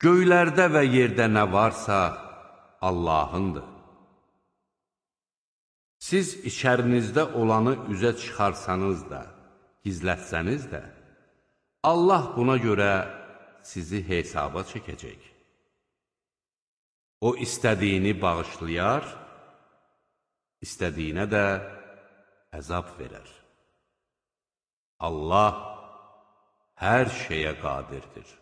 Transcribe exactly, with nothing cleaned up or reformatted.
Göylərdə və yerdə nə varsa Allahındır. Siz içərinizdə olanı üzə çıxarsanız da, gizlətsəniz də, Allah buna görə sizi hesaba çəkəcək. O istədiyini bağışlayar, istədiyinə də əzab verər. Allah hər şeyə qadirdir.